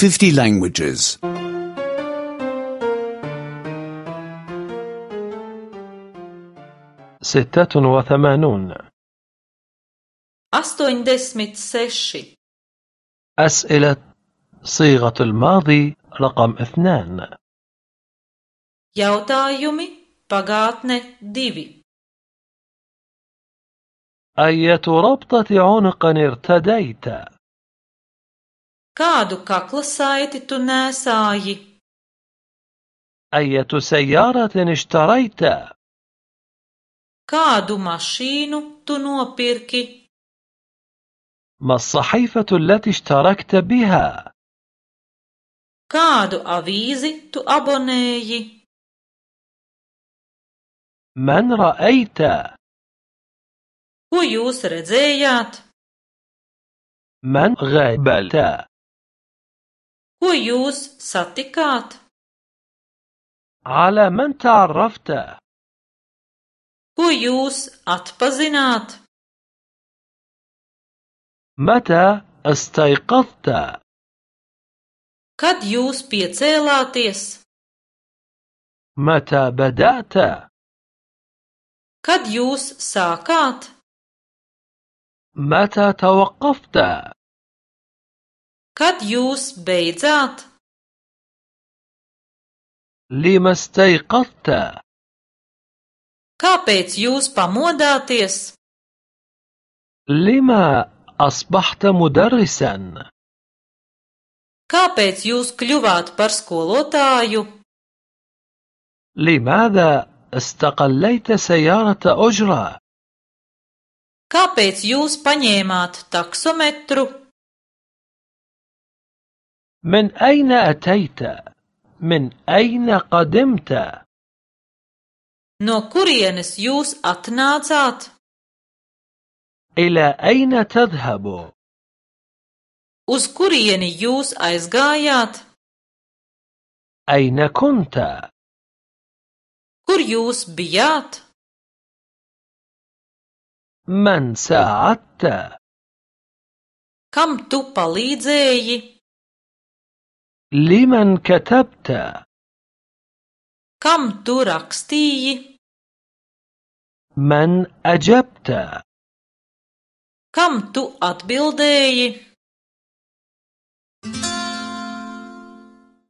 50 languages. 86 86 أسئلة صيغة الماضي رقم 2 Jautājumi pagātne 2 أية ربطة عنق ارتديت؟ Kādu kakla saiti tu nēsāji? أية سيارة اشتريت؟ Kādu mašīnu tu nopirki? ما الصحيفة التي اشتركت بها؟ Kādu avīzi tu abonēji? من رأيت؟ Ko jūs redzējāt? من غابلت؟ Ko jūs satikāt? على من تعرفت؟ Ko jūs atpazināt? متى استيقظت؟ Kad jūs piecēlāties? متى بدأت؟ Kad jūs sākāt? متى توقفت؟ Kad jūs beidzāt? لما استيقظت؟ Kāpēc jūs pamodāties? لما أصبحت مدرسا؟ Kāpēc jūs kļuvāt par skolotāju? لماذا استقليت سيارة أجرة؟ Kāpēc jūs paņēmāt taksometru? من أين أتيت؟ من أين قدمت؟ No kurienes jūs atnācāt? إلى أين تذهب؟ Uz kurieni jūs aizgājāt? أين كنت؟ Kur jūs bijāt? من ساعدت؟ Kam tu palīdzēji? لمن كتبت؟ Kam tu rakstīji? من أجبت؟ Kam tu atbildēji?